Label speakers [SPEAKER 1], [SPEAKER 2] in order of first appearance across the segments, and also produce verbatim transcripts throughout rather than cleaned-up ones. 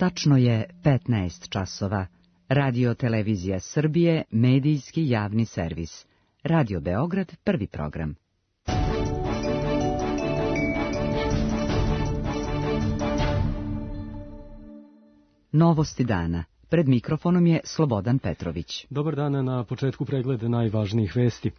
[SPEAKER 1] Tačno je petnaest časova. Radio Televizija Srbije, medijski javni servis. Radio Beograd, prvi program. Novosti dana. Pred mikrofonom je Slobodan Petrović.
[SPEAKER 2] Dobar dan, na početku pregleda najvažnijih vesti.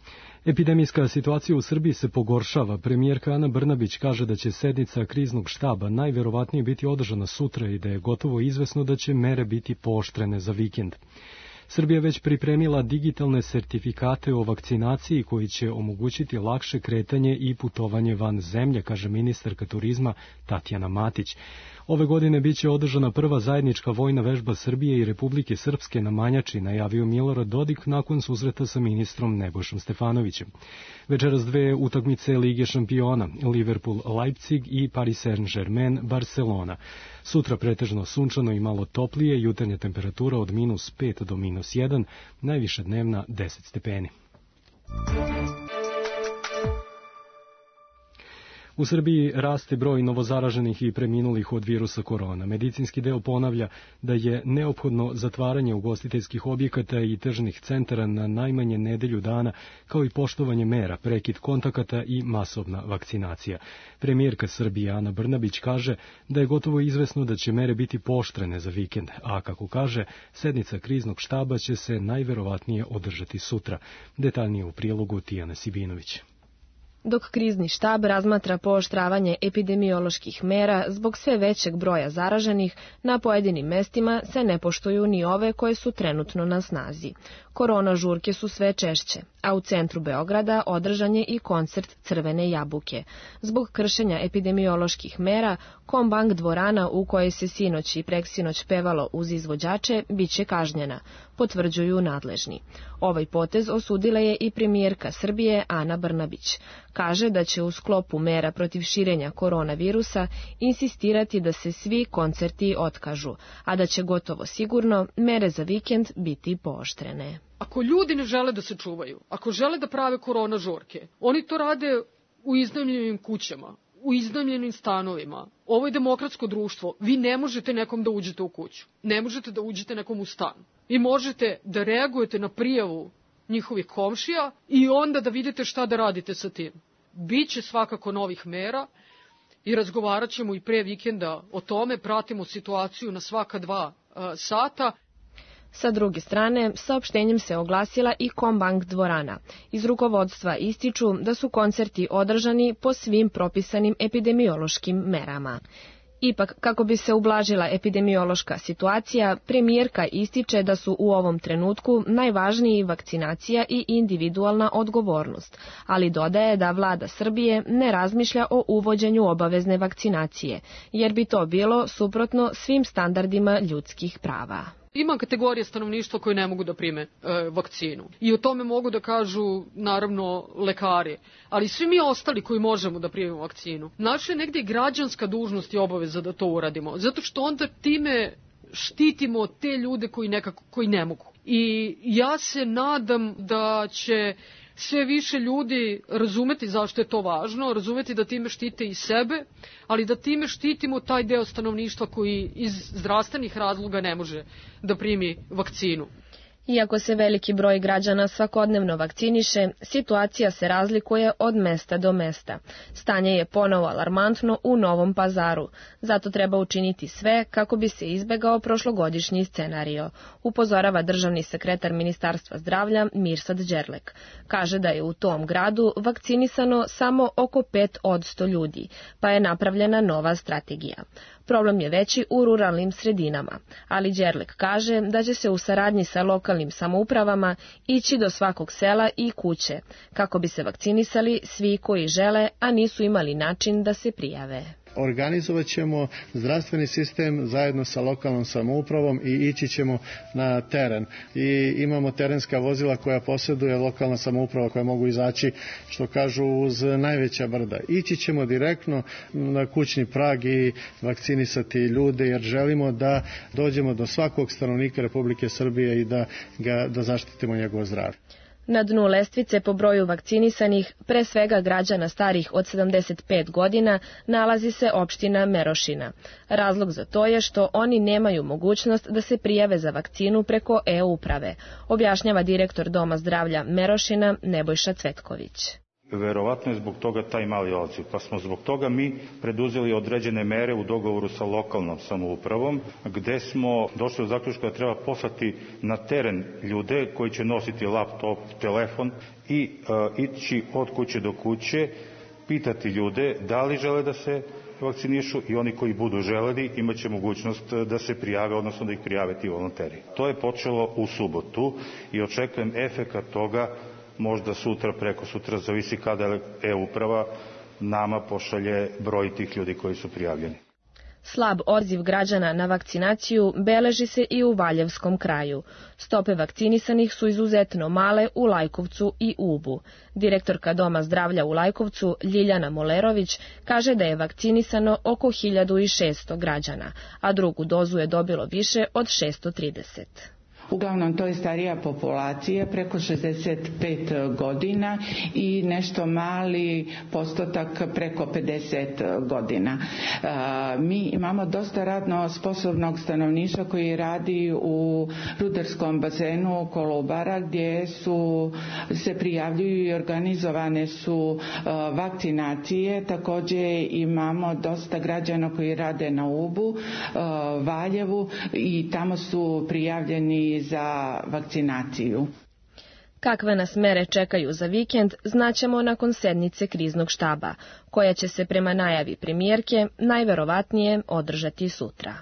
[SPEAKER 2] Epidemijska situacija u Srbiji se pogoršava. Premijerka Ana Brnabić kaže da će sednica kriznog štaba najverovatnije biti održana sutra i da je gotovo izvesno da će mere biti pooštrene za vikend. Srbija već pripremila digitalne sertifikate o vakcinaciji koji će omogućiti lakše kretanje i putovanje van zemlje, kaže ministarka turizma Tatjana Matić. Ove godine biće održana prva zajednička vojna vežba Srbije i Republike Srpske na Manjači, najavio Milorad Dodik nakon susreta sa ministrom Nebojšom Stefanovićem. Večeras dve utakmice Lige šampiona, Liverpool-Leipzig i Paris Saint-Germain-Barcelona. Sutra pretežno sunčano i malo toplije, jutarnja temperatura od minus pet do minus jedan, najviša dnevna deset stepeni. U Srbiji raste broj novozaraženih i preminulih od virusa korona. Medicinski deo ponavlja da je neophodno zatvaranje ugostiteljskih objekata i tržnih centara na najmanje nedelju dana, kao i poštovanje mera, prekid kontakata i masovna vakcinacija. Premijerka Srbije Ana Brnabić kaže da je gotovo izvesno da će mere biti pooštrene za vikend, a kako kaže, sednica kriznog štaba će se najverovatnije održati sutra. Detaljnije u prilogu Tijana Sibinović.
[SPEAKER 3] Dok krizni štab razmatra pooštravanje epidemioloških mera zbog sve većeg broja zaraženih, na pojedinim mestima se ne poštuju ni ove koje su trenutno na snazi. Korona žurke su sve češće, a u centru Beograda održan je i koncert Crvene jabuke. Zbog kršenja epidemioloških mera, Kombank dvorana u kojoj se sinoć i preksinoć pevalo uz izvođače biće kažnjena, potvrđuju nadležni. Ovaj potez osudila je i premijerka Srbije Ana Brnabić. Kaže da će u sklopu mera protiv širenja koronavirusa insistirati da se svi koncerti otkažu, a da će gotovo sigurno mere za vikend biti pooštrene.
[SPEAKER 4] Ako ljudi ne žele da se čuvaju, ako žele da prave korona žurke, oni to rade u iznajmljenim kućama, u iznajmljenim stanovima. Ovo je demokratsko društvo. Vi ne možete nekom da uđete u kuću. Ne možete da uđete nekom u stan. Vi možete da reagujete na prijavu njihovih komšija i onda da vidite šta da radite sa tim. Biće svakako novih mera i razgovarat ćemo i pre vikenda o tome, pratimo situaciju na svaka dva uh, sata.
[SPEAKER 3] Sa druge strane, saopštenjem se oglasila i Kombank dvorana. Iz rukovodstva ističu da su koncerti održani po svim propisanim epidemiološkim merama. Ipak, kako bi se ublažila epidemiološka situacija, premijerka ističe da su u ovom trenutku najvažniji vakcinacija i individualna odgovornost, ali dodaje da vlada Srbije ne razmišlja o uvođenju obavezne vakcinacije, jer bi to bilo suprotno svim standardima ljudskih prava.
[SPEAKER 4] Ima kategorije stanovništva koje ne mogu da prime e, vakcinu. I o tome mogu da kažu, naravno, lekari. Ali svi mi ostali koji možemo da primimo vakcinu, naša je negdje građanska dužnost i obaveza da to uradimo. Zato što onda time štitimo te ljude koji nekako, koji ne mogu. I ja se nadam da će sve više ljudi razumeti zašto je to važno, razumeti da time štite i sebe, ali da time štitimo taj deo stanovništva koji iz zdravstvenih razloga ne može da primi vakcinu.
[SPEAKER 3] Iako se veliki broj građana svakodnevno vakciniše, situacija se razlikuje od mesta do mesta. Stanje je ponovo alarmantno u Novom Pazaru, zato treba učiniti sve kako bi se izbegao prošlogodišnji scenario, upozorava državni sekretar Ministarstva zdravlja Mirsad Đerlek. Kaže da je u tom gradu vakcinisano samo oko pet posto ljudi, pa je napravljena nova strategija. Problem je veći u ruralnim sredinama, ali Đerlek kaže da će se u saradnji sa lokalnim samoupravama ići do svakog sela i kuće, kako bi se vakcinisali svi koji žele, a nisu imali način da se prijave.
[SPEAKER 5] Organizovat ćemo zdravstveni sistem zajedno sa lokalnom samoupravom i ići ćemo na teren. I imamo terenska vozila koja posjeduje lokalna samouprava koja mogu izaći, što kažu, uz najveća brda. Ići ćemo direktno na kućni prag i vakcinisati ljude, jer želimo da dođemo do svakog stanovnika Republike Srbije i da ga da zaštitimo njegovo zdravlje.
[SPEAKER 3] Na dnu lestvice po broju vakcinisanih, pre svega građana starih od sedamdeset pet godina, nalazi se opština Merošina. Razlog za to je što oni nemaju mogućnost da se prijave za vakcinu preko e-uprave, objašnjava direktor Doma zdravlja Merošina Nebojša Cvetković.
[SPEAKER 6] Verovatno je zbog toga taj mali odziv, pa smo zbog toga mi preduzeli određene mere u dogovoru sa lokalnom samoupravom, gde smo došli do zaključka da treba poslati na teren ljude koji će nositi laptop, telefon i uh, ići od kuće do kuće, pitati ljude da li žele da se vakcinišu i oni koji budu želeli imaće mogućnost da se prijave, odnosno da ih prijave ti volonteri. To je počelo u subotu i očekujem efekat toga možda sutra, preko sutra, zavisi kada e-uprava nama pošalje broj tih ljudi koji su prijavljeni.
[SPEAKER 3] Slab odziv građana na vakcinaciju beleži se i u Valjevskom kraju. Stope vakcinisanih su izuzetno male u Lajkovcu i Ubu. Direktorka Doma zdravlja u Lajkovcu, Ljiljana Molerović, kaže da je vakcinisano oko hiljadu šesto građana, a drugu dozu je dobilo više od šesto trideset.
[SPEAKER 7] Uglavnom to je starija populacija, preko šezdeset pet godina i nešto mali postotak preko pedeset godina. Mi imamo dosta radno sposobnog stanovništva koji radi u rudarskom bazenu Kolubara, gdje su, se prijavljuju i organizovane su vakcinacije. Također imamo dosta građana koji rade na Ubu, Valjevu i tamo su prijavljeni za vakcinaciju.
[SPEAKER 3] Kakve nas mere čekaju za vikend, znaćemo nakon sednice kriznog štaba, koja će se prema najavi premijerke najverovatnije održati sutra.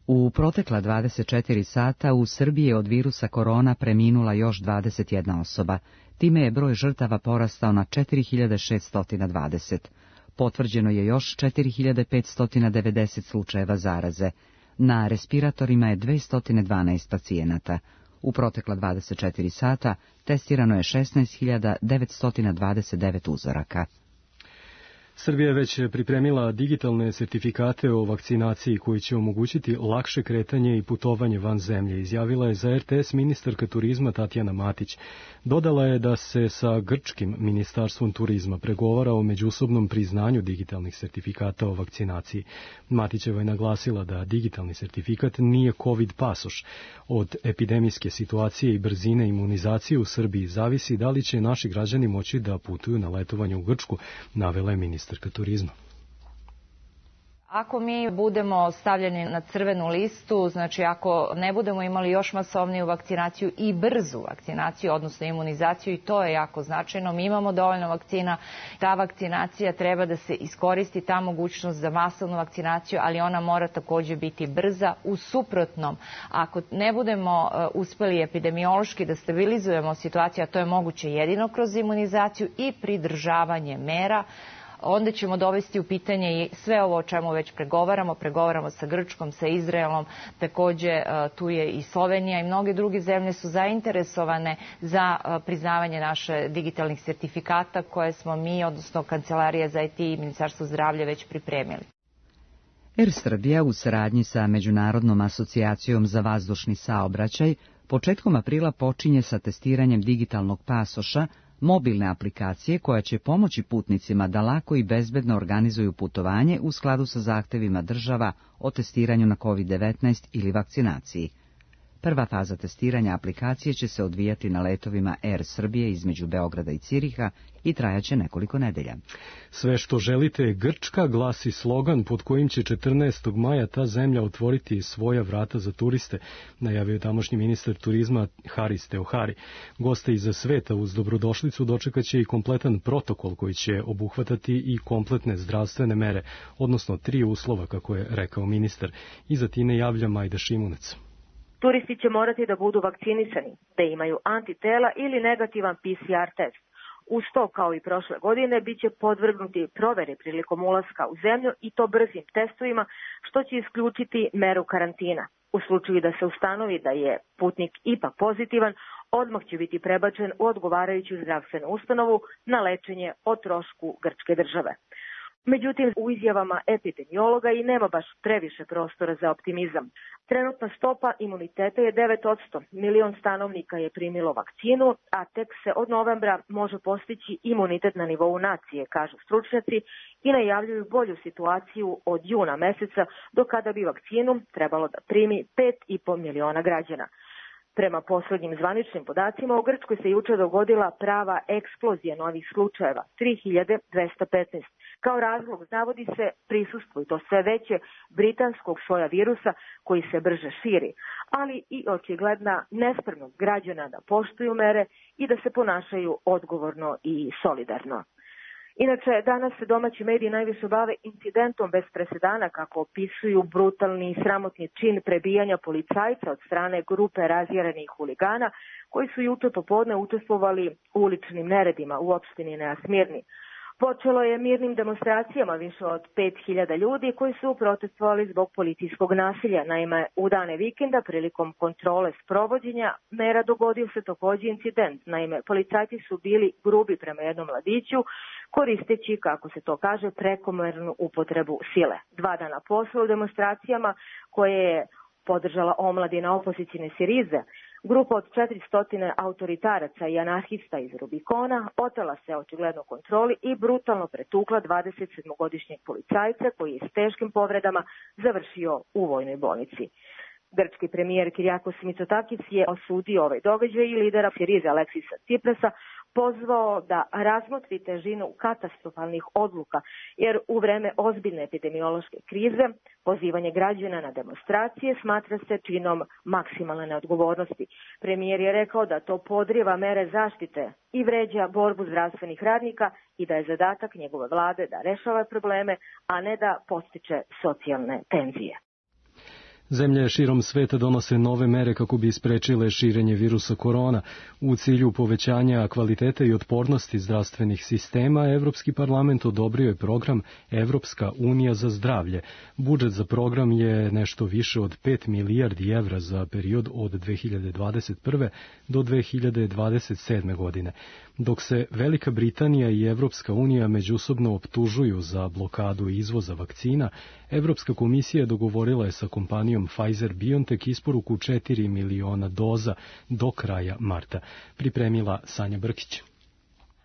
[SPEAKER 1] U protekla dvadeset četiri sata u Srbiji je od virusa korona preminula još dvadeset jedna osoba, time je broj žrtava porastao na četiri hiljade šeststo dvadeset. Potvrđeno je još četiri hiljade petsto devedeset slučajeva zaraze. Na respiratorima je dvesta dvanaest pacijenata. U protekla dvadeset četiri sata testirano je šesnaest hiljada devetsto dvadeset devet uzoraka.
[SPEAKER 2] Srbija je već pripremila digitalne sertifikate o vakcinaciji koji će omogućiti lakše kretanje i putovanje van zemlje, izjavila je za er te es ministarka turizma Tatjana Matić. Dodala je da se sa grčkim ministarstvom turizma pregovara o međusobnom priznanju digitalnih sertifikata o vakcinaciji. Matićeva je naglasila da digitalni sertifikat nije COVID pasoš. Od epidemijske situacije i brzine imunizacije u Srbiji zavisi da li će naši građani moći da putuju na letovanje u Grčku, navela je ministarka turizma.
[SPEAKER 8] Ako mi budemo stavljeni na crvenu listu, znači ako ne budemo imali još masovniju vakcinaciju i brzu vakcinaciju, odnosno imunizaciju, i to je jako značajno, mi imamo dovoljno vakcina, ta vakcinacija treba da se iskoristi, ta mogućnost za masovnu vakcinaciju, ali ona mora također biti brza. U suprotnom, ako ne budemo uspeli epidemiološki da stabilizujemo situaciju, a to je moguće jedino kroz imunizaciju i pridržavanje mera, onda ćemo dovesti u pitanje i sve ovo o čemu već pregovaramo. Pregovaramo sa Grčkom, sa Izraelom, također tu je i Slovenija i mnoge druge zemlje su zainteresovane za priznavanje naše digitalnih sertifikata koje smo mi, odnosno Kancelarija za i te i Ministarstvo zdravlja već pripremili.
[SPEAKER 1] Er Srbija u saradnji sa Međunarodnom asocijacijom za vazdušni saobraćaj početkom aprila počinje sa testiranjem digitalnog pasoša, mobilne aplikacije koja će pomoći putnicima da lako i bezbedno organizuju putovanje u skladu sa zahtevima država o testiranju na kovid devetnaest ili vakcinaciji. Prva faza testiranja aplikacije će se odvijati na letovima Er Srbije između Beograda i Ciriha i trajaće nekoliko nedelja.
[SPEAKER 2] Sve što želite je Grčka, glasi slogan pod kojim će četrnaestog maja ta zemlja otvoriti svoja vrata za turiste, najavio je tamošnji ministar turizma Haris Teohari. Goste iza sveta uz dobrodošlicu dočekaće i kompletan protokol koji će obuhvatati i kompletne zdravstvene mere, odnosno tri uslova, kako je rekao ministar. Iza Tine javlja Majda Šimunac.
[SPEAKER 9] Turisti će morati da budu vakcinisani, da imaju antitela ili negativan pe ce er test. Uz to, kao i prošle godine, bit će podvrgnuti provere prilikom ulaska u zemlju i to brzim testovima, što će isključiti meru karantina. U slučaju da se ustanovi da je putnik ipak pozitivan, odmah će biti prebačen u odgovarajuću zdravstvenu ustanovu na lečenje o trošku grčke države. Međutim, u izjavama epidemiologa i nema baš previše prostora za optimizam. Trenutna stopa imuniteta je devet posto. Milion stanovnika je primilo vakcinu, a tek se od novembra može postići imunitet na nivou nacije, kažu stručnjaci, i najavljuju bolju situaciju od juna meseca, do kada bi vakcinu trebalo da primi pet i po miliona građana. Prema poslednjim zvaničnim podacima, u Grčkoj se juče dogodila prava eksplozija novih slučajeva, tri hiljade dvesta petnaest. Kao razlog navodi se prisustvo, i to sve veće, britanskog soja virusa koji se brže širi, ali i očigledna nespremnost građana da poštuju mere i da se ponašaju odgovorno i solidarno. Inače, danas se domaći mediji najviše bave incidentom bez presedana, kako opisuju brutalni i sramotni čin prebijanja policajca od strane grupe razjarenih huligana koji su juče popodne učestvovali u uličnim neredima u opštini Nea Smirni. Počelo je mirnim demonstracijama više od pet hiljada ljudi koji su protestovali zbog policijskog nasilja. Naime, u dane vikenda prilikom kontrole sprovođenja mera dogodio se takođe incident. Naime, policajci su bili grubi prema jednom mladiću, koristeći, kako se to kaže, prekomernu upotrebu sile. Dva dana posle u demonstracijama koje je podržala omladina opozicijne Sirize, grupa od četiristo autoritaraca i anarhista iz Rubikona otela se očigledno kontroli i brutalno pretukla dvadesetsedmogodišnjeg policajca koji je s teškim povredama završio u vojnoj bolnici. Grčki premijer Kyriakos Mitsotakis je osudio ovaj događaj i lidera Sirize Aleksisa Tsiprasa pozvao da razmotri težinu katastrofalnih odluka, jer u vreme ozbiljne epidemiološke krize pozivanje građana na demonstracije smatra se činom maksimalne neodgovornosti. Premijer je rekao da to podriva mere zaštite i vređa borbu zdravstvenih radnika i da je zadatak njegove vlade da rešava probleme, a ne da podstiče socijalne tenzije.
[SPEAKER 2] Zemlje širom sveta donose nove mere kako bi sprečile širenje virusa korona. U cilju povećanja kvalitete i otpornosti zdravstvenih sistema, Evropski parlament odobrio je program Evropska unija za zdravlje. Budžet za program je nešto više od pet milijardi evra za period od dve hiljade dvadeset prve do dve hiljade dvadeset sedme. godine. Dok se Velika Britanija i Evropska unija međusobno optužuju za blokadu izvoza vakcina, Evropska komisija dogovorila je sa kompanijom Pfizer-BioNTech isporuku četiri miliona doza do kraja marta. Pripremila Sanja Brkić.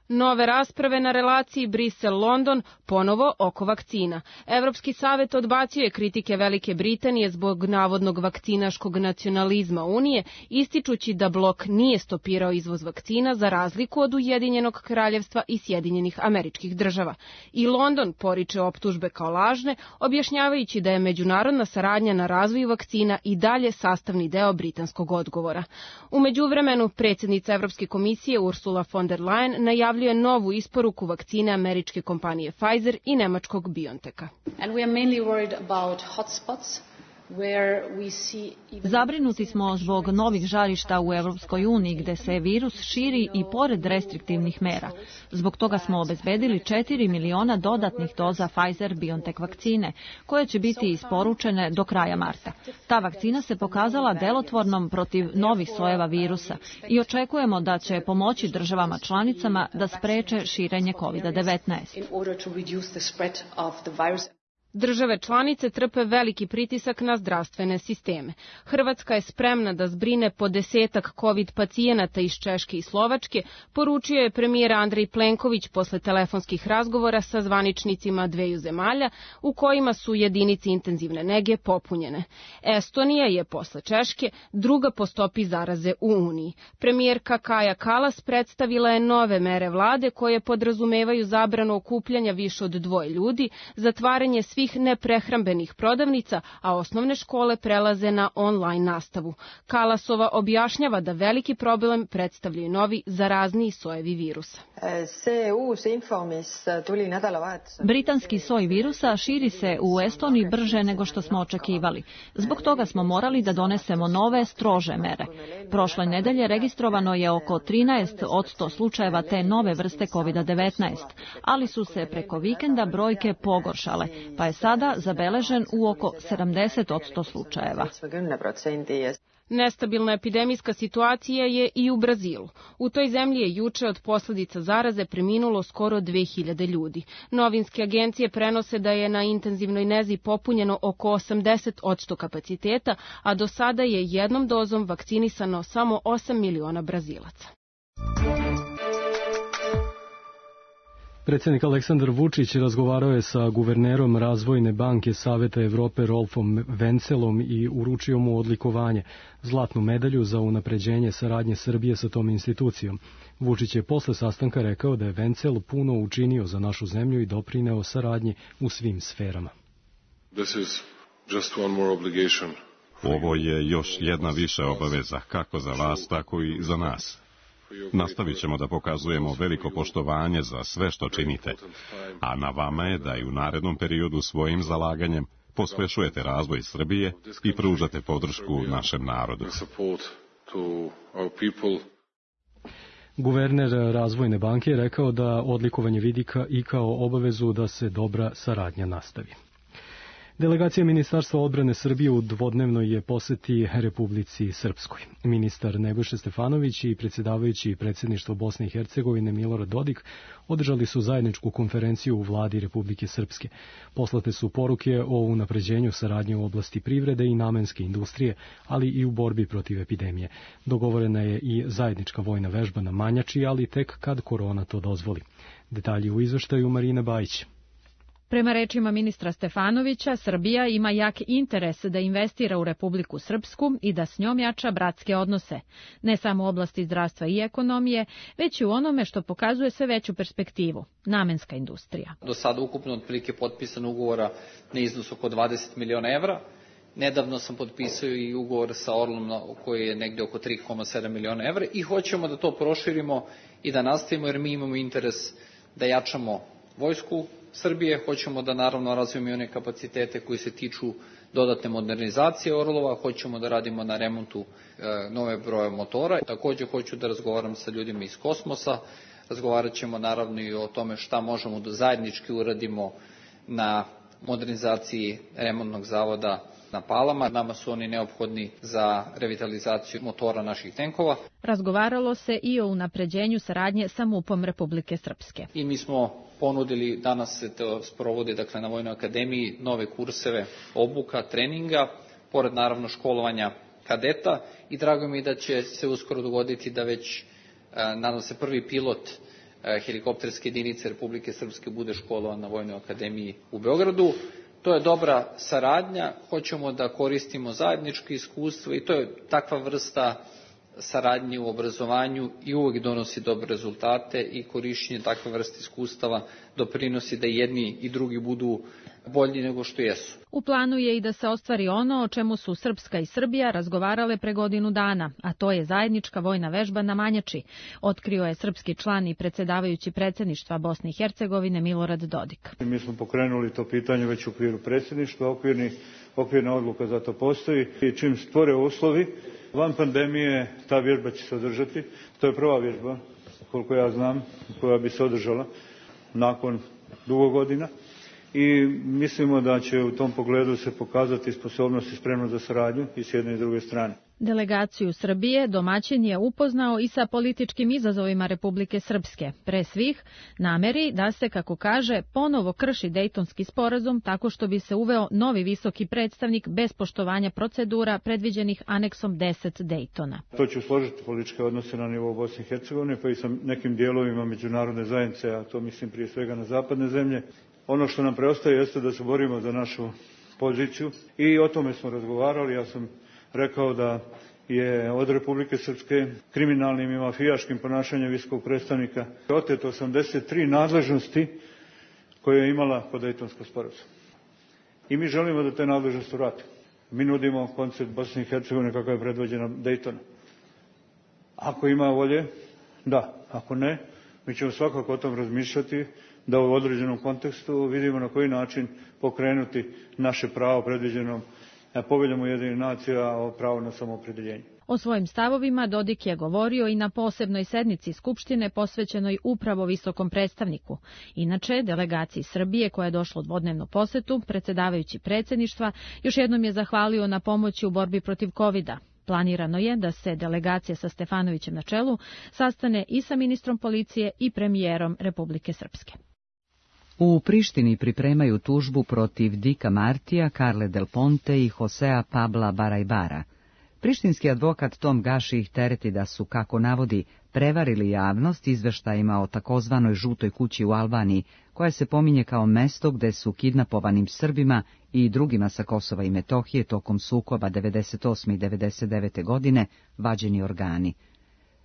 [SPEAKER 3] Nove rasprave na relaciji Brisel-London ponovo oko vakcina. Evropski savet odbacio je kritike Velike Britanije zbog navodnog vakcinaškog nacionalizma Unije, ističući da blok nije stopirao izvoz vakcina za razliku od Ujedinjenog kraljevstva i Sjedinjenih Američkih Država. I London poriče optužbe kao lažne, objašnjavajući da je međunarodna saradnja na razvoju vakcina i dalje sastavni deo britanskog odgovora. U međuvremenu, predsjednica Evropske komisije Ursula von der Leyen najavljuje je novu isporuku vakcine američke kompanije Pfizer i nemačkog BioNTecha.
[SPEAKER 10] Zabrinuti smo zbog novih žarišta u Evropskoj uniji gde se virus širi i pored restriktivnih mera. Zbog toga smo obezbedili četiri miliona dodatnih doza Pfizer-BioNTech vakcine, koje će biti isporučene do kraja marta. Ta vakcina se pokazala delotvornom protiv novih sojeva virusa i očekujemo da će pomoći državama članicama da spreče širenje kovid devetnaest.
[SPEAKER 3] Države članice trpe veliki pritisak na zdravstvene sisteme. Hrvatska je spremna da zbrine po desetak COVID pacijenata iz Češke i Slovačke, poručio je premijer Andrej Plenković posle telefonskih razgovora sa zvaničnicima dveju zemalja u kojima su jedinice intenzivne nege popunjene. Estonija je posle Češke druga po stopi zaraze u Uniji. Premijerka Kaja Kalas predstavila je nove mere vlade koje podrazumevaju zabranu okupljanja više od dvoje ljudi, zatvaranje svih neprehrambenih prodavnica, a osnovne škole prelaze na online nastavu. Kalasova objašnjava da veliki problem predstavljaju novi zarazniji sojevi virusa.
[SPEAKER 10] Britanski soj virusa širi se u Estoniji brže nego što smo očekivali. Zbog toga smo morali da donesemo nove, strože mere. Prošle nedelje registrovano je oko trinaest posto slučajeva te nove vrste kovid devetnaest, ali su se preko vikenda brojke pogoršale, pa je sada zabeležen u oko sedamdeset posto slučajeva.
[SPEAKER 11] Nestabilna epidemijska situacija je i u Brazilu. U toj zemlji je juče od posljedica zaraze preminulo skoro dve hiljade ljudi. Novinske agencije prenose da je na intenzivnoj nezi popunjeno oko osamdeset posto kapaciteta, a do sada je jednom dozom vakcinisano samo osam miliona Brazilaca.
[SPEAKER 2] Predsjednik Aleksandar Vučić razgovarao je sa guvernerom Razvojne banke Saveta Evrope Rolfom Vencelom i uručio mu odlikovanje, zlatnu medalju za unapređenje saradnje Srbije sa tom institucijom. Vučić je posle sastanka rekao da je Vencel puno učinio za našu zemlju i doprineo saradnji u svim sferama.
[SPEAKER 12] This is just one more obligation.
[SPEAKER 13] Ovo je još jedna više obaveza, kako za vas, tako i za nas. Nastavit ćemo da pokazujemo veliko poštovanje za sve što činite, a na vama je da i u narednom periodu svojim zalaganjem pospešujete razvoj Srbije i pružate podršku našem narodu.
[SPEAKER 2] Guverner Razvojne banke je rekao da odlikovanje vidi i kao obavezu da se dobra saradnja nastavi. Delegacija Ministarstva odbrane Srbije u dvodnevnoj je poseti Republici Srpskoj. Ministar Nebojša Stefanović i predsjedavajući predsjedništvo Bosne i Hercegovine Milorad Dodik održali su zajedničku konferenciju u vladi Republike Srpske. Poslate su poruke o unapređenju saradnje u oblasti privrede i namenske industrije, ali i u borbi protiv epidemije. Dogovorena je i zajednička vojna vežba na Manjači, ali tek kad korona to dozvoli. Detalji u izveštaju Marina Bajić.
[SPEAKER 10] Prema rečima ministra Stefanovića, Srbija ima jak interes da investira u Republiku Srpsku i da s njom jača bratske odnose, ne samo u oblasti zdravstva i ekonomije, već i u onome što pokazuje sve veću perspektivu, namenska industrija.
[SPEAKER 14] Do sada ukupno otprilike potpisano ugovora na iznos oko dvadeset miliona evra. Nedavno sam potpisao i ugovor sa Orlom koji je negde oko tri zarez sedam miliona evra i hoćemo da to proširimo i da nastavimo jer mi imamo interes da jačamo vojsku Srbije, hoćemo da naravno razvijemo i one kapacitete koji se tiču dodatne modernizacije Orlova, hoćemo da radimo na remontu e, nove broje motora. Također hoću da razgovaram sa ljudima iz kosmosa, razgovarat ćemo naravno i o tome šta možemo da zajednički uradimo na modernizaciji remontnog zavoda na Palama. Nama su oni neophodni za revitalizaciju motora naših tenkova.
[SPEAKER 10] Razgovaralo se i o unapređenju saradnje sa MUP-om Republike Srpske.
[SPEAKER 14] I mi smo ponudili, danas se to sprovodi dakle, na Vojnoj akademiji, nove kurseve obuka, treninga, pored naravno školovanja kadeta i drago mi je da će se uskoro dogoditi da već, nadam se, prvi pilot helikopterske jedinice Republike Srpske bude školovan na Vojnoj akademiji u Beogradu. To je dobra saradnja, hoćemo da koristimo zajedničko iskustvo i to je takva vrsta saradnje u obrazovanju i uvijek donosi dobre rezultate i korišćenje takve vrste iskustava doprinosi da jedni i drugi budu bolji nego što jesu.
[SPEAKER 10] U planu je i da se ostvari ono o čemu su Srpska i Srbija razgovarale pre godinu dana, a to je zajednička vojna vežba na Manjači, otkrio je srpski član i predsjedavajući predsjedništva Bosne i Hercegovine Milorad Dodik.
[SPEAKER 15] Mi smo pokrenuli to pitanje već u okviru predsjedništva, okvirni, okvirna odluka za to postoji i čim stvore uslovi, van pandemije ta vježba će se održati. To je prva vježba, koliko ja znam, koja bi se održala nakon dugo godina. I mislimo da će u tom pogledu se pokazati sposobnost i spremnost za saradnju i s jedne i druge strane.
[SPEAKER 10] Delegaciju Srbije domaćin je upoznao i sa političkim izazovima Republike Srpske, pre svih nameri da se, kako kaže, ponovo krši Dejtonski sporazum tako što bi se uveo novi visoki predstavnik bez poštovanja procedura predviđenih aneksom deset Dejtona.
[SPEAKER 15] To će složiti političke odnose na nivou Bosne i Hercegovine, pa i sa nekim dijelovima međunarodne zajednice, a to mislim prije svega na zapadne zemlje. Ono što nam preostaje jeste da se borimo za našu poziciju i o tome smo razgovarali. Ja sam rekao da je od Republike Srpske kriminalnim i mafijaškim ponašanjem visokog predstavnika oteto osamdeset tri nadležnosti koje je imala po Dejtonskom sporazumu. I mi želimo da te nadležnosti vratimo. Mi nudimo koncept Bosne i Hercegovine kako je predvođena Dejtona. Ako ima volje, da. Ako ne, mi ćemo svakako o tom razmišljati da u određenom kontekstu vidimo na koji način pokrenuti naše pravo predviđenom Poveljom Ujedinjenih nacija o pravu na samoopredjeljenje.
[SPEAKER 10] O svojim stavovima Dodik je govorio i na posebnoj sednici Skupštine posvećenoj upravo visokom predstavniku. Inače, delegaciji Srbije koja je došla u dvodnevnu posetu, predsjedavajući predsjedništva, još jednom je zahvalio na pomoći u borbi protiv kovida. Planirano je da se delegacija sa Stefanovićem na čelu sastane i sa ministrom policije i premijerom Republike Srpske.
[SPEAKER 1] U Prištini pripremaju tužbu protiv Dika Martija, Carle Del Ponte i Josea Pabla Barajbara. Prištinski advokat Tom Gaši ih tereti da su, kako navodi, prevarili javnost izveštajima o takozvanoj žutoj kući u Albaniji, koja se pominje kao mesto gde su kidnapovanim Srbima i drugima sa Kosova i Metohije tokom sukoba devedeset osme i devedeset devete godine vađeni organi.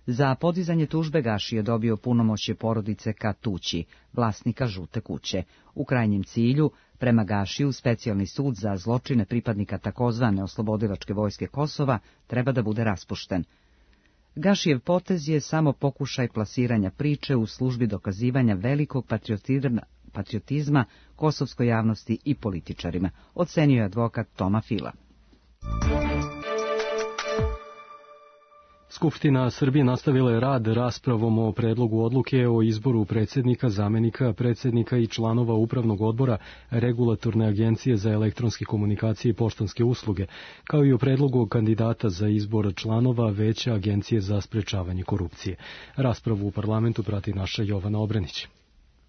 [SPEAKER 1] Za podizanje tužbe Gaši je dobio punomoćje porodice Katući, vlasnika žute kuće. U krajnjem cilju, prema Gašiju, specijalni sud za zločine pripadnika takozvane oslobodilačke vojske Kosova treba da bude raspušten. Gašijev potez je samo pokušaj plasiranja priče u službi dokazivanja velikog patriotizma, patriotizma kosovskoj javnosti i političarima, ocenio je advokat Toma Fila.
[SPEAKER 2] Skupština Srbije nastavila je rad raspravom o predlogu odluke o izboru predsjednika, zamenika, predsjednika i članova upravnog odbora Regulatorne agencije za elektronske komunikacije i poštanske usluge, kao i o predlogu kandidata za izbor članova Veća agencije za sprečavanje korupcije. Raspravu u parlamentu prati naša Jovana Obrenić.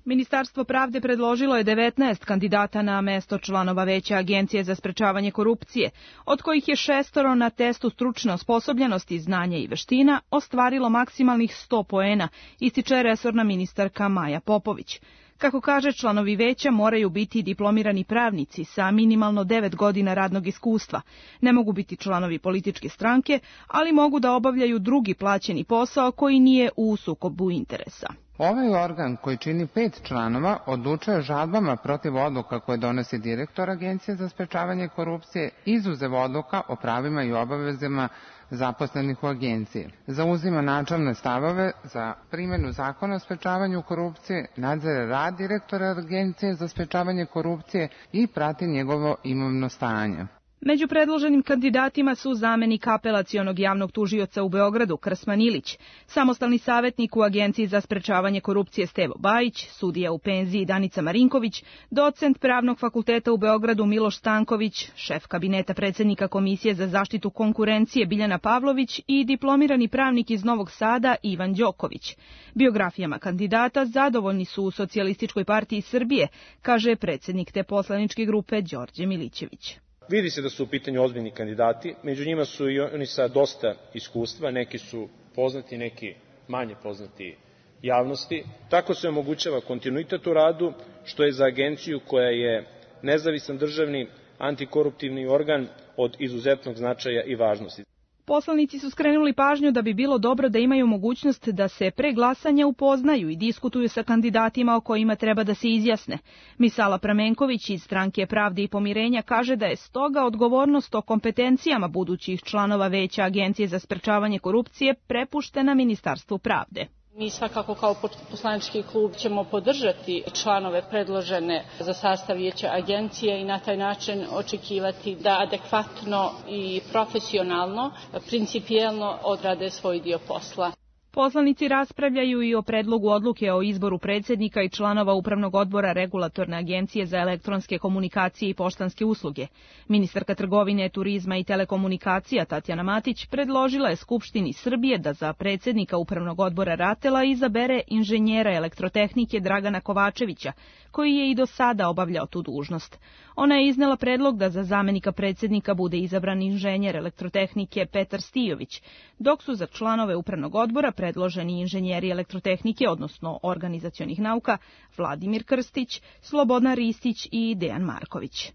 [SPEAKER 16] Ministarstvo pravde predložilo je devetnaest kandidata na mesto članova Veća agencije za sprečavanje korupcije, od kojih je šestoro na testu stručne osposobljenosti, znanja i veština ostvarilo maksimalnih sto poena, ističe resorna ministarka Maja Popović. Kako kaže, članovi veća moraju biti diplomirani pravnici sa minimalno devet godina radnog iskustva. Ne mogu biti članovi političke stranke, ali mogu da obavljaju drugi plaćeni posao koji nije u sukobu interesa.
[SPEAKER 17] Ovaj organ, koji čini pet članova, odlučuje žalbama protiv odluka koje donosi direktor Agencije za sprečavanje korupcije, izuzev odluka o pravima i obavezama zaposlenih u agenciji. Zauzima načelne stavove za primjenu zakona o sprečavanju korupcije, nadzire rad direktora Agencije za sprečavanje korupcije i prati njegovo imovno stanje.
[SPEAKER 16] Među predloženim kandidatima su zamenik apelacionog javnog tužioca u Beogradu Krsman Ilić, samostalni savjetnik u Agenciji za sprečavanje korupcije Stevo Bajić, sudija u penziji Danica Marinković, docent Pravnog fakulteta u Beogradu Miloš Stanković, šef kabineta predsjednika Komisije za zaštitu konkurencije Biljana Pavlović i diplomirani pravnik iz Novog Sada Ivan Đoković. Biografijama kandidata zadovoljni su u Socijalističkoj partiji Srbije, kaže predsjednik te poslaničke grupe Đorđe Milićević.
[SPEAKER 18] Vidi se da su u pitanju ozbiljni kandidati, među njima su i oni sa dosta iskustva, neki su poznati, neki manje poznati javnosti. Tako se omogućava kontinuitet u radu, što je za agenciju koja je nezavisan državni antikoruptivni organ od izuzetnog značaja i važnosti.
[SPEAKER 16] Poslanici su skrenuli pažnju da bi bilo dobro da imaju mogućnost da se pre glasanja upoznaju i diskutuju sa kandidatima o kojima treba da se izjasne. Misala Pramenković iz Stranke Pravde i pomirenja kaže da je stoga odgovornost o kompetencijama budućih članova Veća Agencije za sprečavanje korupcije prepuštena Ministarstvu pravde.
[SPEAKER 19] Mi svakako kao poslanički klub ćemo podržati članove predložene za sastav Vijeća agencije i na taj način očekivati da adekvatno i profesionalno, principijelno odrade svoj dio posla.
[SPEAKER 16] Poslanici raspravljaju i o predlogu odluke o izboru predsjednika i članova Upravnog odbora Regulatorne agencije za elektronske komunikacije i poštanske usluge. Ministarka trgovine, turizma i telekomunikacija Tatjana Matić predložila je Skupštini Srbije da za predsjednika Upravnog odbora Ratela izabere inženjera elektrotehnike Dragana Kovačevića, koji je i do sada obavljao tu dužnost. Ona je iznela predlog da za zamenika predsjednika bude izabran inženjer elektrotehnike Petar Stijović, dok su za članove Upravnog odbora predloženi inženjeri elektrotehnike, odnosno organizacionih nauka, Vladimir Krstić, Slobodan Ristić i Dejan Marković.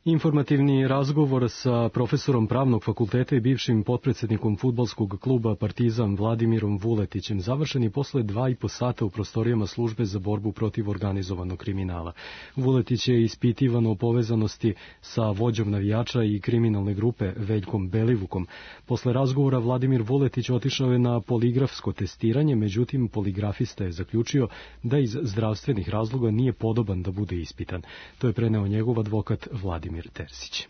[SPEAKER 2] Informativni razgovor sa profesorom Pravnog fakulteta i bivšim potpredsjednikom fudbalskog kluba Partizan Vladimirom Vuletićem završen je posle dva i po sata u prostorijama službe za borbu protiv organizovanog kriminala. Vuletić je ispitivan o povezanosti sa vođom navijača i kriminalne grupe Veljkom Belivukom. Posle razgovora Vladimir Vuletić otišao je na poligrafsko testiranje, međutim poligrafista je zaključio da iz zdravstvenih razloga nije podoban da bude ispitan. To je preneo njegov advokat Vladimir Terzić.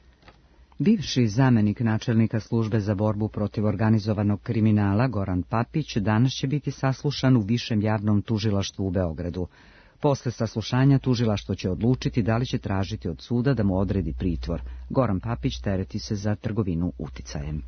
[SPEAKER 1] Bivši zamenik načelnika službe za borbu protiv organizovanog kriminala Goran Papić danas će biti saslušan u Višem javnom tužilaštvu u Beogradu. Posle saslušanja tužilaštvo će odlučiti da li će tražiti od suda da mu odredi pritvor. Goran Papić tereti se za trgovinu uticajem.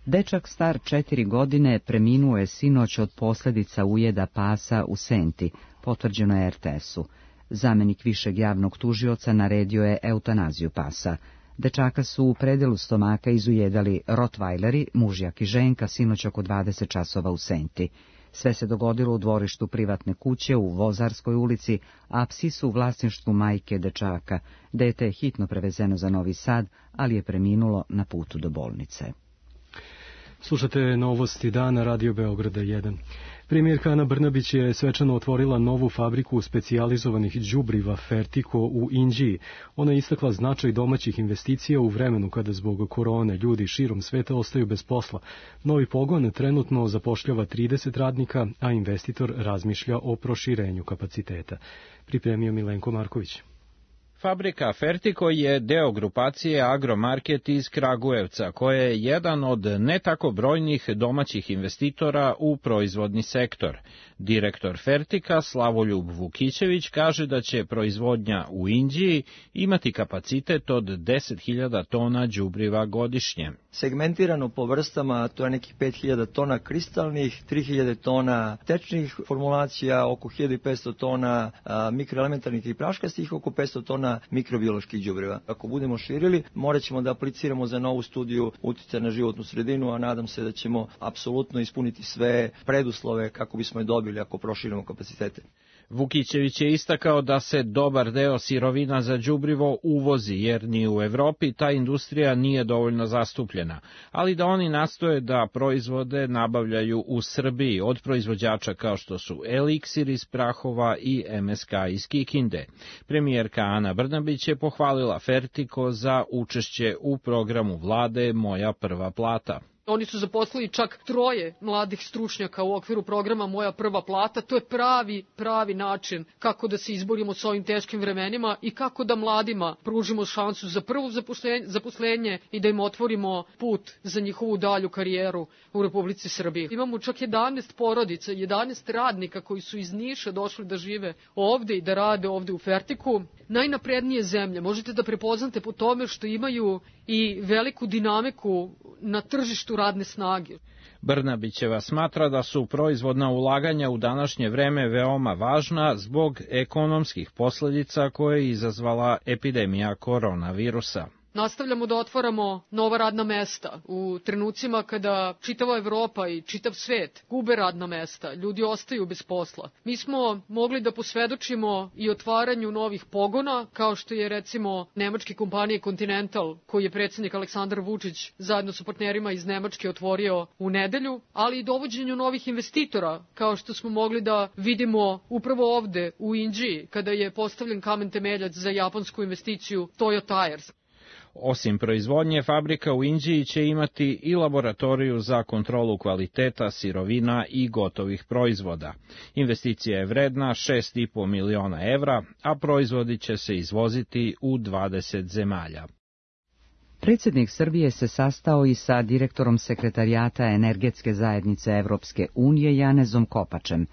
[SPEAKER 1] Dečak star četiri godine preminuo je sinoć od posljedica ujeda pasa u Senti, potvrđeno je er te esu. Zamenik višeg javnog tužioca naredio je eutanaziju pasa. Dečaka su u predelu stomaka izujedali rotvajleri, mužjak i ženka, sinoć oko dvadeset časova u Senti. Sve se dogodilo u dvorištu privatne kuće u Vozarskoj ulici, a psi su u vlasništvu majke dečaka. Dete je hitno prevezeno za Novi Sad, ali je preminulo na putu do bolnice.
[SPEAKER 2] Slušate novosti dana Radio Beograda jedan. Premijerka Ana Brnabić je svečano otvorila novu fabriku specijalizovanih đubriva Fertiko u Inđiji. Ona je istakla značaj domaćih investicija u vremenu kada zbog korone ljudi širom sveta ostaju bez posla. Novi pogon trenutno zapošljava trideset radnika, a investitor razmišlja o proširenju kapaciteta. Pripremio Milenko Marković.
[SPEAKER 20] Fabrika Fertiko je deo grupacije Agromarket iz Kragujevca, koja je jedan od ne tako brojnih domaćih investitora u proizvodni sektor. Direktor Fertika Slavoljub Vukićević kaže da će proizvodnja u Inđiji imati kapacitet od deset hiljada tona đubriva godišnje.
[SPEAKER 21] Segmentirano po vrstama, to je nekih pet hiljada tona kristalnih, tri hiljade tona tečnih formulacija, oko hiljadu petsto tona a, mikroelementarnih i praškastih, oko petsto tona mikrobioloških đubriva. Ako budemo širili, morat ćemo da apliciramo za novu studiju uticaja na životnu sredinu, a nadam se da ćemo apsolutno ispuniti sve preduslove kako bismo je dobili ako proširimo kapacitete.
[SPEAKER 20] Vukićević je istakao da se dobar deo sirovina za đubrivo uvozi, jer ni u Evropi ta industrija nije dovoljno zastupljena, ali da oni nastoje da proizvode nabavljaju u Srbiji od proizvođača kao što su Eliksir iz Prahova i em es ka iz Kikinde. Premijerka Ana Brnabić je pohvalila Fertiko za učešće u programu vlade Moja prva plata.
[SPEAKER 4] Oni su zaposlili čak troje mladih stručnjaka u okviru programa Moja prva plata. To je pravi, pravi način kako da se izborimo s ovim teškim vremenima i kako da mladima pružimo šansu za prvo zaposlenje i da im otvorimo put za njihovu dalju karijeru u Republici Srbiji. Imamo čak jedanaest porodica, jedanaest radnika koji su iz Niša došli da žive ovde i da rade ovde u Fertiku. Najnaprednije zemlje možete da prepoznate po tome što imaju i veliku dinamiku na tržištu radne snage.
[SPEAKER 20] Brnabićeva smatra da su proizvodna ulaganja u današnje vreme veoma važna zbog ekonomskih posljedica koje je izazvala epidemija koronavirusa.
[SPEAKER 4] Nastavljamo da otvaramo nova radna mesta u trenucima kada čitava Evropa i čitav svet gube radna mesta, ljudi ostaju bez posla. Mi smo mogli da posvedočimo i otvaranju novih pogona, kao što je recimo nemačke kompanije Continental, koji je predsjednik Aleksandar Vučić zajedno sa partnerima iz Nemačke otvorio u nedelju, ali i dovođenju novih investitora, kao što smo mogli da vidimo upravo ovde u Inđiji, kada je postavljen kamen temeljac za japansku investiciju Toyo Tires.
[SPEAKER 20] Osim proizvodnje, fabrika u Inđiji će imati i laboratoriju za kontrolu kvaliteta sirovina i gotovih proizvoda. Investicija je vredna šest i po miliona evra, a proizvodi će se izvoziti u dvadeset zemalja.
[SPEAKER 1] Predsjednik Srbije se sastao i sa direktorom sekretarijata Energetske zajednice Evropske unije Janezom Kopačem.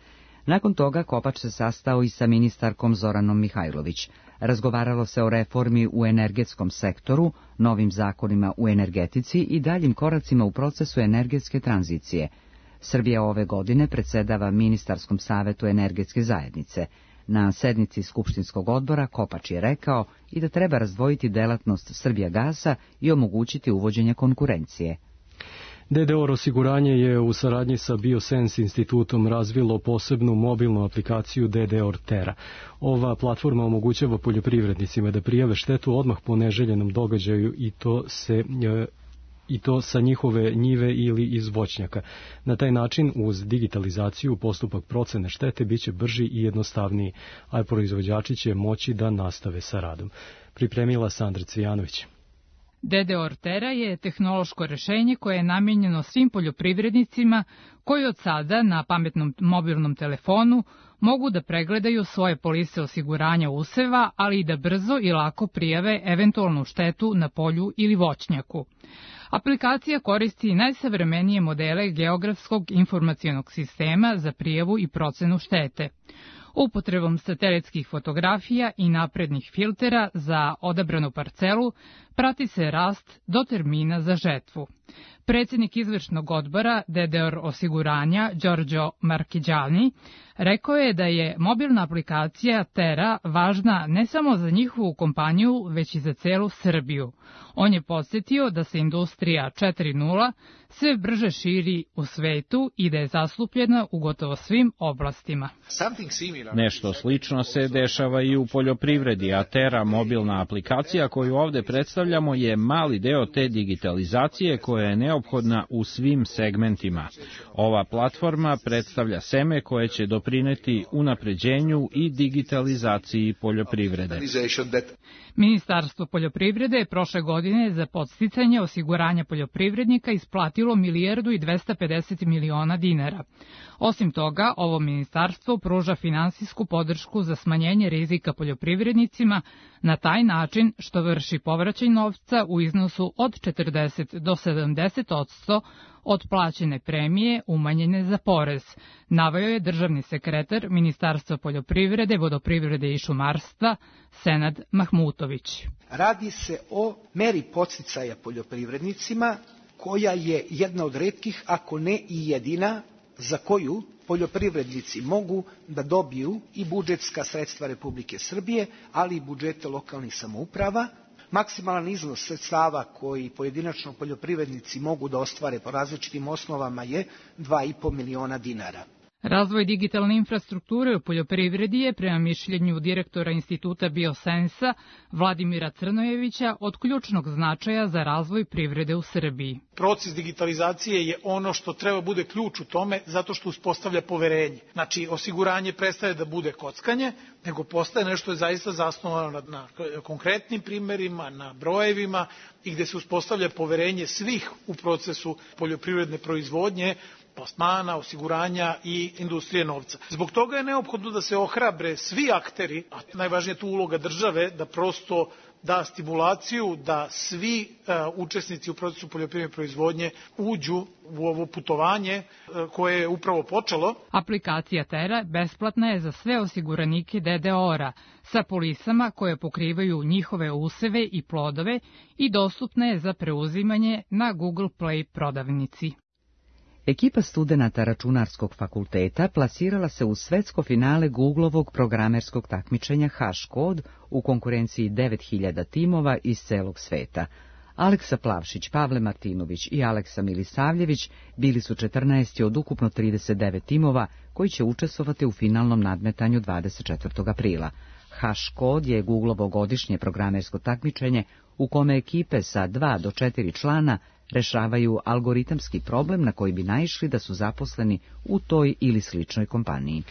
[SPEAKER 1] Nakon toga Kopač se sastao i sa ministarkom Zoranom Mihajlović. Razgovaralo se o reformi u energetskom sektoru, novim zakonima u energetici i daljim koracima u procesu energetske tranzicije. Srbija ove godine predsjedava Ministarskom savetu Energetske zajednice. Na sednici Skupštinskog odbora Kopač je rekao i da treba razdvojiti delatnost Srbijagasa i omogućiti uvođenje konkurencije.
[SPEAKER 2] de de o er osiguranje je u saradnji sa Biosense institutom razvilo posebnu mobilnu aplikaciju de de o er Terra. Ova platforma omogućava poljoprivrednicima da prijave štetu odmah po neželjenom događaju i to se i to sa njihove njive ili iz voćnjaka. Na taj način, uz digitalizaciju, postupak procene štete biće brži i jednostavniji, a proizvođači će moći da nastave sa radom. Pripremila Sandra Cvijanović.
[SPEAKER 22] de de o er Terra je tehnološko rešenje koje je namijenjeno svim poljoprivrednicima koji od sada na pametnom mobilnom telefonu mogu da pregledaju svoje polise osiguranja useva, ali i da brzo i lako prijave eventualnu štetu na polju ili voćnjaku. Aplikacija koristi najsavremenije modele geografskog informacionog sistema za prijavu i procenu štete. Upotrebom satelitskih fotografija i naprednih filtera za odabranu parcelu prati se rast do termina za žetvu. Predsjednik izvršnog odbora D D O R osiguranja Đorđo Markiđani rekao je da je mobilna aplikacija Tera važna ne samo za njihovu kompaniju, već i za celu Srbiju. On je podsjetio da se industrija četiri nula sve brže širi u svetu i da je zastupljena u gotovo svim oblastima.
[SPEAKER 20] Nešto slično se dešava i u poljoprivredi, a Tera, mobilna aplikacija koju ovde predstavljamo, je mali deo te digitalizacije koja je neophodna u svim segmentima. Ova platforma predstavlja seme koje će doprineti unapređenju i digitalizaciji poljoprivrede.
[SPEAKER 22] Ministarstvo poljoprivrede je prošle godine za podsticanje osiguranja poljoprivrednika isplatilo milijardu i dvesta pedeset miliona dinara. Osim toga, ovo ministarstvo pruža finansijsku podršku za smanjenje rizika poljoprivrednicima na taj način što vrši povraćaj novca u iznosu od četrdeset do sedamdeset posto od plaćene premije umanjene za porez, naveo je državni sekretar Ministarstva poljoprivrede, vodoprivrede i šumarstva Senad Mahmutović.
[SPEAKER 5] Radi se o meri podsticaja poljoprivrednicima koja je jedna od retkih, ako ne i jedina, za koju poljoprivrednici mogu da dobiju i budžetska sredstva Republike Srbije, ali i budžete lokalnih samouprava. Maksimalan iznos sredstava koji pojedinačno poljoprivrednici mogu da ostvare po različitim osnovama je dva i po miliona dinara.
[SPEAKER 22] Razvoj digitalne infrastrukture u poljoprivredi je, prema mišljenju direktora Instituta Biosensa Vladimira Crnojevića, od ključnog značaja za razvoj privrede u Srbiji.
[SPEAKER 6] Proces digitalizacije je ono što treba bude ključ u tome zato što uspostavlja poverenje. Znači, osiguranje prestaje da bude kockanje, nego postaje nešto je zaista zasnovano na, na konkretnim primerima, na brojevima i gde se uspostavlja poverenje svih u procesu poljoprivredne proizvodnje, plasmana, osiguranja i industrije novca. Zbog toga je neophodno da se ohrabre svi akteri, a najvažnija je tu uloga države, da prosto da stimulaciju da svi uh, učesnici u procesu poljoprivredne proizvodnje uđu u ovo putovanje uh, koje je upravo počelo.
[SPEAKER 22] Aplikacija Tera besplatna je za sve osiguranike D D O R-a sa polisama koje pokrivaju njihove useve i plodove i dostupna je za preuzimanje na Google Play prodavnici.
[SPEAKER 1] Ekipa studenata Računarskog fakulteta plasirala se u svetsko finale Googlovog programerskog takmičenja HashCode u konkurenciji devet hiljada timova iz celog sveta. Aleksa Plavšić, Pavle Martinović i Aleksa Milisavljević bili su četrnaesti od ukupno trideset devet timova koji će učestvovati u finalnom nadmetanju dvadeset četvrtog aprila. HashCode je Googlovo godišnje programersko takmičenje u kome ekipe sa dva do četiri člana rešavaju algoritamski problem na koji bi naišli da su zaposleni u toj ili sličnoj kompaniji.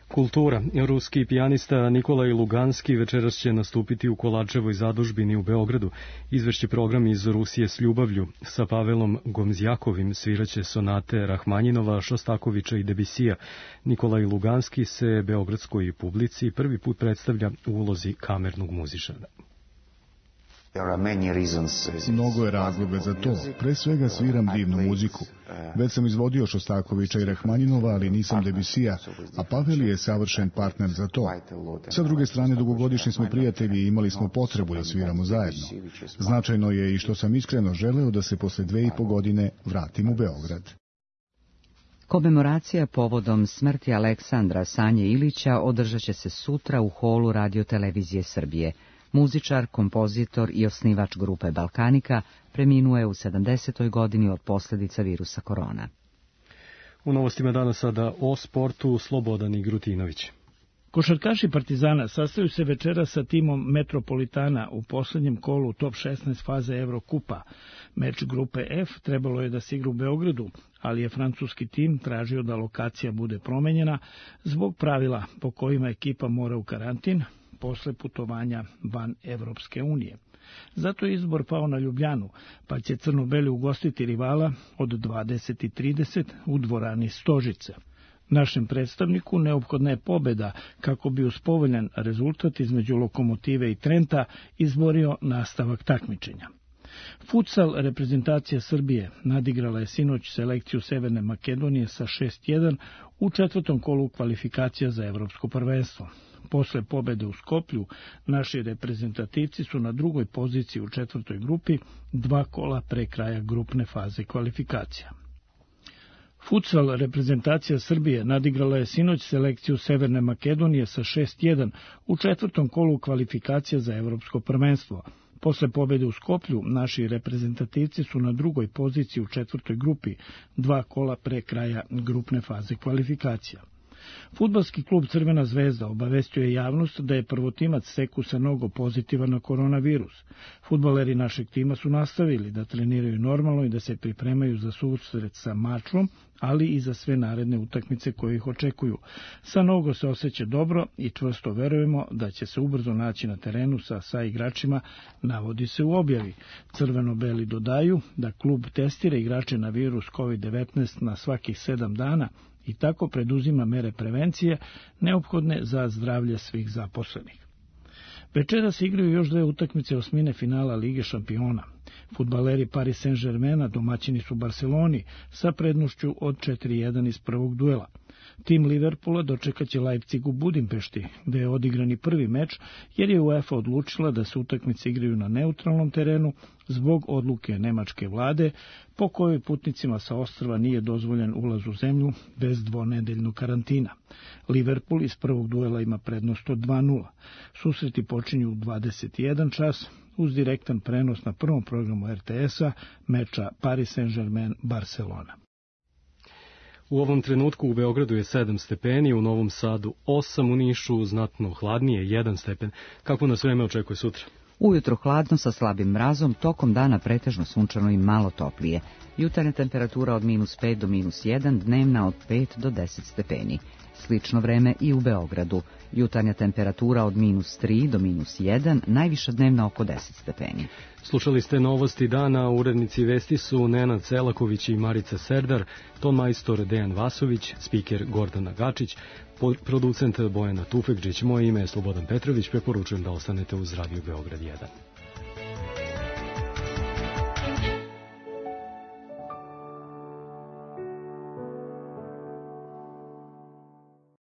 [SPEAKER 2] Kultura. Ruski pijanista Nikolaj Luganski večeras će nastupiti u Kolačevoj zadužbini u Beogradu. Izvešće program iz Rusije s ljubavlju. Sa Pavelom Gomzjakovim sviraće sonate Rahmanjinova, Šostakovića i Debisija. Nikolaj Luganski se beogradskoj publici prvi put predstavlja u ulozi kamernog muzičara.
[SPEAKER 23] Mnogo je razloga za to. Pre svega sviram divnu muziku. Već sam izvodio Šostakovića i Rahmanjinova, ali nisam Debisija, a Pavel je savršen partner za to. Sa druge strane, dugogodišnji smo prijatelji i imali smo potrebu da sviramo zajedno. Značajno je i što sam iskreno želeo da se posle dve i po godine vratim u Beograd.
[SPEAKER 1] Komemoracija povodom smrti Aleksandra Sanje Ilića održat će se sutra u holu Radio-televizije Srbije. Muzičar, kompozitor i osnivač grupe Balkanika preminuo je u sedamdesetoj godini od posljedica virusa korona.
[SPEAKER 2] U novostima danas sada o sportu Slobodan Igrutinović.
[SPEAKER 24] Košarkaši Partizana sastaju se večera sa timom Metropolitana u poslednjem kolu top šesnaest faze Evrokupa. Meč grupe F trebalo je da se igra u Beogradu, ali je francuski tim tražio da lokacija bude promenjena zbog pravila po kojima ekipa mora u karantin posle putovanja van Evropske unije. Zato je izbor pao na Ljubljanu, pa će crno-beli ugostiti rivala od dvadeset i trideset u dvorani Stožice. Našem predstavniku neophodna je pobeda kako bi uz povoljan rezultat između Lokomotive i Trenta izborio nastavak takmičenja. Futsal reprezentacija Srbije nadigrala je sinoć selekciju Severne Makedonije sa šest jedan u četvrtom kolu kvalifikacija za evropsko prvenstvo. Posle pobede u Skoplju, naši reprezentativci su na drugoj poziciji u četvrtoj grupi, dva kola pre kraja grupne faze kvalifikacija. Futsal reprezentacija Srbije nadigrala je sinoć selekciju Severne Makedonije sa šest jedan u četvrtom kolu kvalifikacija za evropsko prvenstvo. Posle pobede u Skoplju, naši reprezentativci su na drugoj poziciji u četvrtoj grupi, dva kola pre kraja grupne faze kvalifikacija. Fudbalski klub Crvena zvezda obavestio je javnost da je prvotimac Sekusa Nogo pozitivan na koronavirus. Fudbaleri našeg tima su nastavili da treniraju normalno i da se pripremaju za susret sa Mačvom, ali i za sve naredne utakmice koje ih očekuju. Sa Nogo se osjeća dobro i čvrsto verujemo da će se ubrzo naći na terenu sa sa igračima, navodi se u objavi. Crveno-beli dodaju da klub testira igrače na virus kovid devetnaest na svakih sedam dana i tako preduzima mere prevencije neophodne za zdravlje svih zaposlenih. Večera se igraju još dve utakmice osmine finala Lige šampiona. Fudbaleri Paris Saint-Germaina domaćini su Barceloni sa prednošću od četiri jedan iz prvog duela. Tim Liverpoola dočekaće Leipzig u Budimpešti, gde je odigrani prvi meč, jer je UEFA odlučila da se utakmice igraju na neutralnom terenu zbog odluke nemačke vlade, po kojoj putnicima sa ostrva nije dozvoljen ulaz u zemlju bez dvonedeljnog karantina. Liverpool iz prvog duela ima prednost od dva nula. Susreti počinju u dvadeset jedan čas, uz direktan prenos na prvom programu er te es-a meča Paris Saint-Germain-Barcelona.
[SPEAKER 2] U ovom trenutku u Beogradu je sedam stepeni, u Novom Sadu osam, u Nišu znatno hladnije, jedan stepen. Kako nas vreme očekuje sutra?
[SPEAKER 1] Ujutro hladno sa slabim mrazom, tokom dana pretežno sunčano i malo toplije. Jutarnja temperatura od minus pet do minus jedan, dnevna od pet do deset stepeni. Slično vreme i u Beogradu. Jutarnja temperatura od minus tri do minus jedan, najviša dnevna oko deset stepeni.
[SPEAKER 2] Slušali ste novosti dana, urednici vesti su Nenad Selaković i Marica Serdar, ton majstor Dejan Vasović, spiker Gordana Gačić, producent Bojana Tufekđić. Moje ime je Slobodan Petrović, preporučujem da ostanete uz Radio Beograd jedan.